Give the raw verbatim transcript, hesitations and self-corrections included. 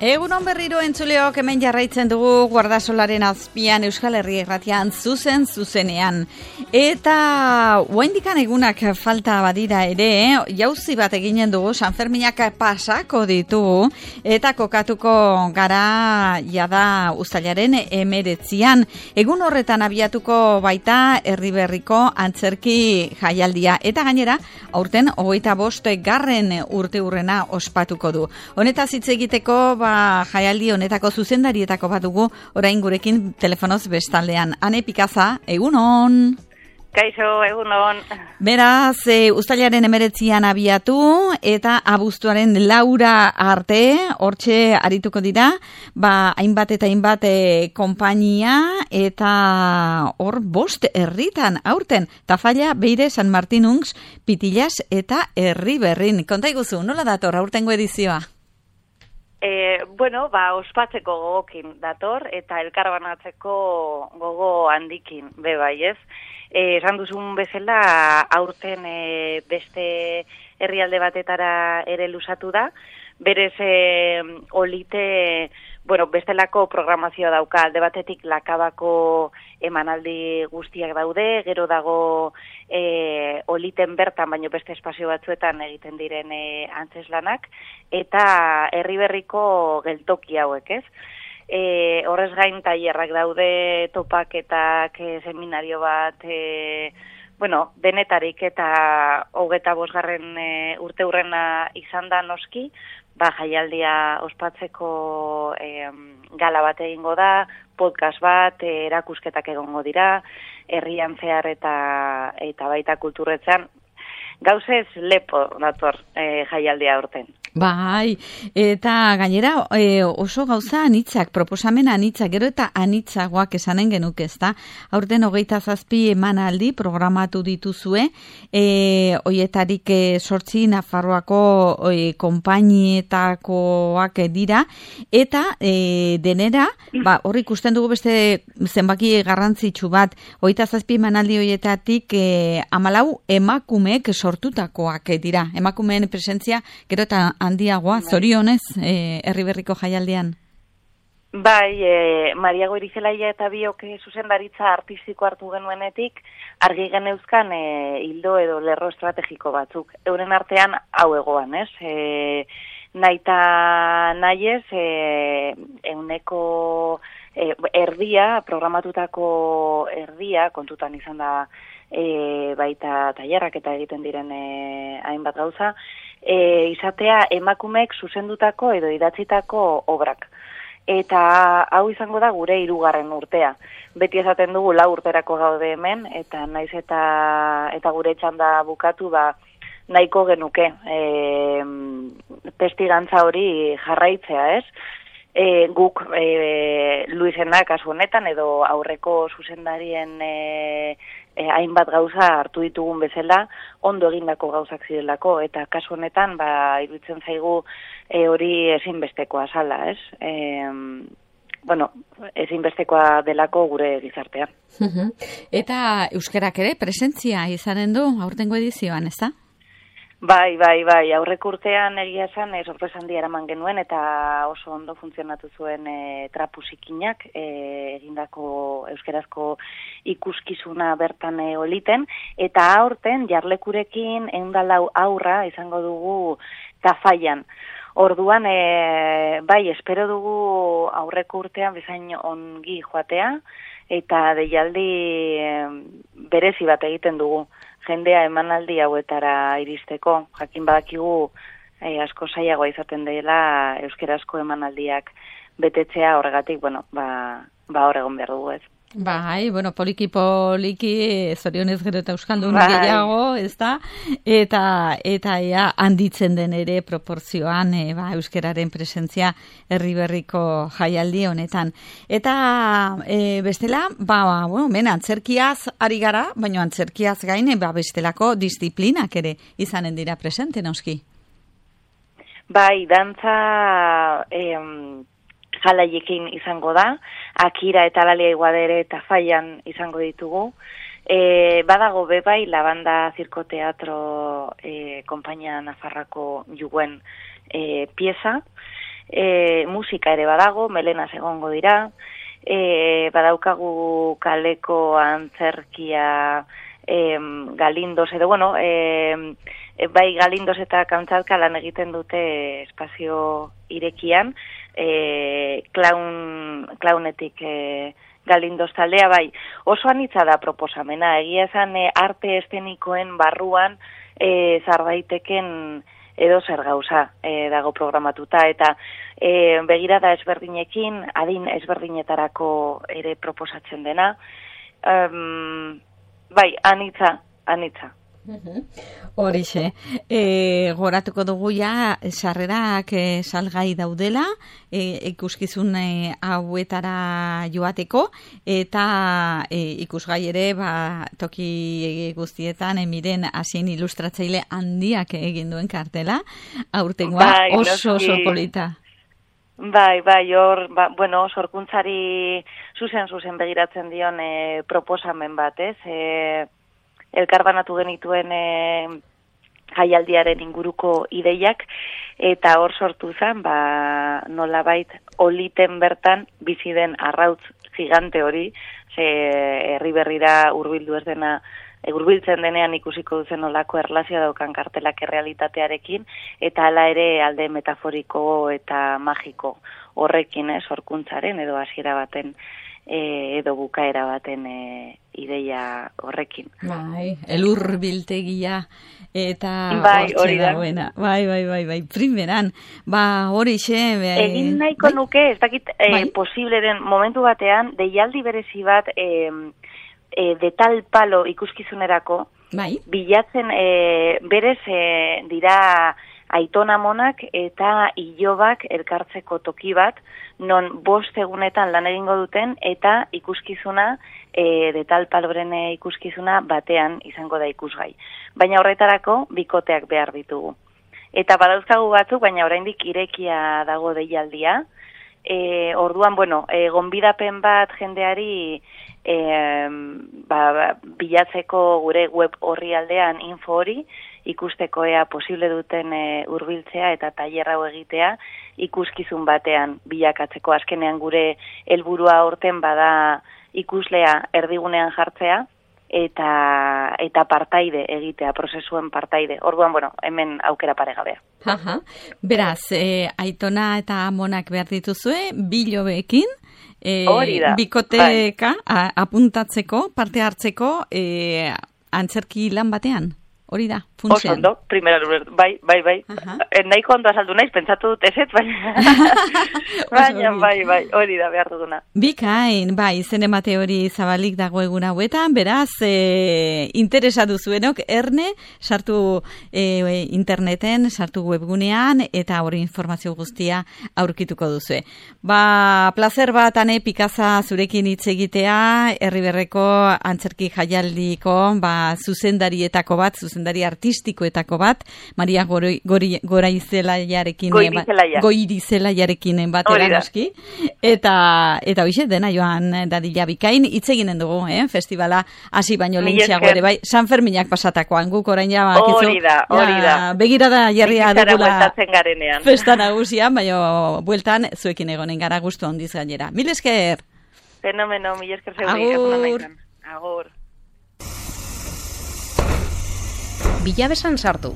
Egunon berriro entzuleok hemen jarraitzen dugu Guardasolaren azpian Euskal Herri Irratian zuzen zuzenean. Eta oraindikan egunak falta badira ere, jauzi bat eginen dugu, Sanferminak pasako ditugu eta kokatuko gara jada uztailaren hemeretzian. Egun horretan abiatuko baita Erriberriko antzerki jaialdia eta gainera aurten hogeita bost garren urte hurrena ospatuko du. Honetaz hitz egiteko ba, jaialdi honetako zuzendarietako bat dugu orain gurekin telefonoz bestaldean. Ane Pikaza, egunon! Kaixo, egunon! Beraz, e, uztailaren emeretzian abiatu eta abuztuaren laura arte, hortxe arituko dira, ba, hainbat eta hainbat e, konpainia eta hor bost herritan aurten, Tafalla, Beire, San Martinungs, Pitillas eta Erriberrin. Konta iguzu, nola dator aurtengo edizioa? E, bueno, ba, ospatzeko gogokin dator eta elkarbanatzeko gogo handikin, be bai ez. E, esan duzun bezala, aurten e, beste herrialde batetara ere lusatu da, berez e, olite, bueno, bestelako programazioa dauka, alde batetik Lakabako emanaldi guztiak daude, gero dago e, oliten bertan, baino beste espazio batzuetan egiten diren e, antzeslanak, eta Erriberriko geltoki hauek, ez? E, horrez gain tailerrak daude, topaketak, e, seminario bat, e, bueno, denetarik eta hogeta bosgarren e, urte hurrena izan da noski, ba, jaialdia ospatzeko e, gala bat egingo da, podcast bat, e, erakusketak egongo dira, herrian zehar eta, eta baita kulturretzan, gauzez lepo dator e, jaialdia aurten. Bai, eta gainera e, oso gauza anitzak, proposamen anitzak, gero eta anitzagoak esanen genuke, ezta? Aurten hogeita zazpi emanaldi programatu dituzue, e, hoietarik e, sortzi Nafarroako e, konpainietakoak dira, eta e, denera, ba, hor ikusten dugu beste zenbaki garrantzitsu bat, hogeita zazpi emanaldi hoietatik e, hamalau emakumeek sortutakoak dira, emakumeen presentzia gero eta handiagoa, zorionez, e, Erriberriko jaialdian? Bai, e, Maria Goirizelaia eta biok zuzendaritza artistiko hartu genuenetik, argi geneuzkan e, hildo edo lerro estrategiko batzuk. Euren artean hau egoan, ez? E, naita nahiez, e, euneko e, erdia, programatutako erdia, kontutan izan da e, baita tailerrak eta egiten diren e, hainbat gauza, E, izatea emakumeek zuzendutako edo idatzitako obrak. Eta hau izango da gure hirugarren urtea. Beti esaten dugu lau urterako gaude hemen, eta naiz eta, eta gure txanda bukatu ba, nahiko genuke e, testigantza hori jarraitzea, ez? E, guk e, Luisena kasu honetan edo aurreko zuzendarien e, e, hainbat gauza hartu ditugun bezala, ondo egindako gauzak zirelako, eta kasu honetan ba, iruditzen zaigu e, hori ezinbestekoa zala, ez? E, bueno, ezinbestekoa delako gure gizartean. Eta euskerak ere presentzia izanen du aurtengo edizioan, ez da? Bai, bai, bai, aurreko urtean egia esan e, sorpresa handia eraman genuen eta oso ondo funtzionatu zuen e, trapusikinak e, egindako euskerazko ikuskizuna bertan e, oliten, eta aurten jarlekurekin eundalau aurra izango dugu Tafallan. Orduan, e, bai, espero dugu aurreko urtean bezain ongi joatea, eta deialdi e, berezi bat egiten dugu. Jendea emanaldi hauetara iristeko, jakin badakigu eh, asko zailagoa izaten dela euskerazko emanaldiak betetzea, horregatik, bueno, ba, ba hor egon behar dugu ez. Bai, bueno, poliki poliki zorionez gero eta euskaldun bai. Gehiago, ez da? Eta, eta ea handitzen den ere proporzioan e, ba, euskeraren presentzia Erriberriko jaialdi honetan. Eta e, bestela, ba, bueno, men, antzerkiaz ari gara, baina antzerkiaz gaine, ba, bestelako disiplinak ere izanen dira presente, noski? Bai, dantza... Em, jalaiekin izango da, Akira eta Lalia Iguadere eta Tafallan izango ditugu. E, badago bebai, la banda Zirko Teatro e, konpainia Nafarrako juguen e, pieza, e, musika ere badago, Melenas egongo dira, e, badaukagu kaleko antzerkia e, Galindos, edo bueno, e, e, bai Galindos eta Kamtxatka lan egiten dute espazio irekian, e, klaun, klaunetik e, Galindos taldea, bai, oso anitza da proposamena, egia esan e, arte eszenikoen barruan e, zardaiteken edo zer gauza e, dago programatuta, eta e, begirada ezberdinekin, adin ezberdinetarako ere proposatzen dena, um, bai, anitza, anitza. Horixe, e, goratuko dugu ja sarrerak e, salgai daudela, e, ikuskizun e, hauetara joateko, eta e, ikusgai ere ba, toki guztietan emiren hasien ilustratzaile handiak egin duen kartela, aurtengoa bai, oso oso polita. Bai, bai, hor, ba, bueno, sorkuntzari zuzen-zuzen begiratzen dion e, proposamen bat, ez? E, elkarbanatu genituen e, jaialdiaren inguruko ideiak, eta hor sortu zen, ba, nolabait oliten bertan bizi den arrautz gigante hori, ze herri berrira hurbildu ez dena, hurbiltzen denean ikusiko duzen olako erlazioa daukan kartelak errealitatearekin, eta hala ere alde metaforiko eta magiko horrekin, eh, sorkuntzaren edo hasiera baten E, edo bukaera baten e, ideia horrekin. Bai, elur biltegia eta bai, hori da. Dagoena. Bai, bai, bai, bai, primeran. Ba, hori xe... Egin nahiko bai? nuke, ez dakit e, bai? posible den momentu batean, deialdi berezi bat e, e, de tal palo ikuskizunerako, bai? Bilatzen e, berez e, dira Aitona Monak eta Ilobak elkartzeko toki bat, non bost egunetan lan egingo duten, eta ikuskizuna, e, de tal paloren ikuskizuna batean izango da ikusgai. Baina horretarako bikoteak behar ditugu. Eta badauzkagu batzuk, baina oraindik irekia dago deialdia. E, orduan, bueno, e, gonbidapen bat jendeari e, ba, ba, bilatzeko gure web horri aldean info hori, ikusteko ea posible duten e, hurbiltzea eta tailer hau egitea ikuskizun batean bilakatzeko. Azkenean gure helburua horten bada ikuslea erdigunean jartzea eta eta partaide egitea, prozesuen partaide. Orduan, bueno, hemen aukera paregabea. Aha. Beraz, e, Aitona eta Amonak behar dituzue, bilobeekin, e, bikoteka bai. apuntatzeko, parte hartzeko, e, antzerki lan batean. Hori da, funtsean. Oso ondo, primera lurez, bai, bai, bai. Eh, nahiko ondo azaldu naiz, pentsatu dut eset, baina, baina, bai, bai, hori da behar duguna. Bikain, bai, zen emate hori zabalik dago egun hauetan, beraz, e, interesatu zuenok, erne, sartu e, interneten, sartu webgunean, eta hori informazio guztia aurkituko duzue. Ba, placer bat, ane, Pikaza zurekin hitz egitea, Herriberreko antzerki jaialdiko, ba, zuzendarietako bat, zuzendari artistikoetako bat, Maria Gori, Gori, Goraizelaiarekin Goirizelaia. Goirizelaiarekin batera noski, eta eta hoize dena joan dadila bikain, hitz eginen dugu, eh? Festivala hasi baino lehentxeago ere bai, San Ferminak pasatakoan, guk orain ja bakizu. Hori da, hori da. Begirada jarria dugula garenean. Festa nagusian, baino bueltan zuekin egonen gara gustu handiz gainera. Mil esker. Fenomeno, mil esker zeuri. Agur. Agur. Bilabesan sartu.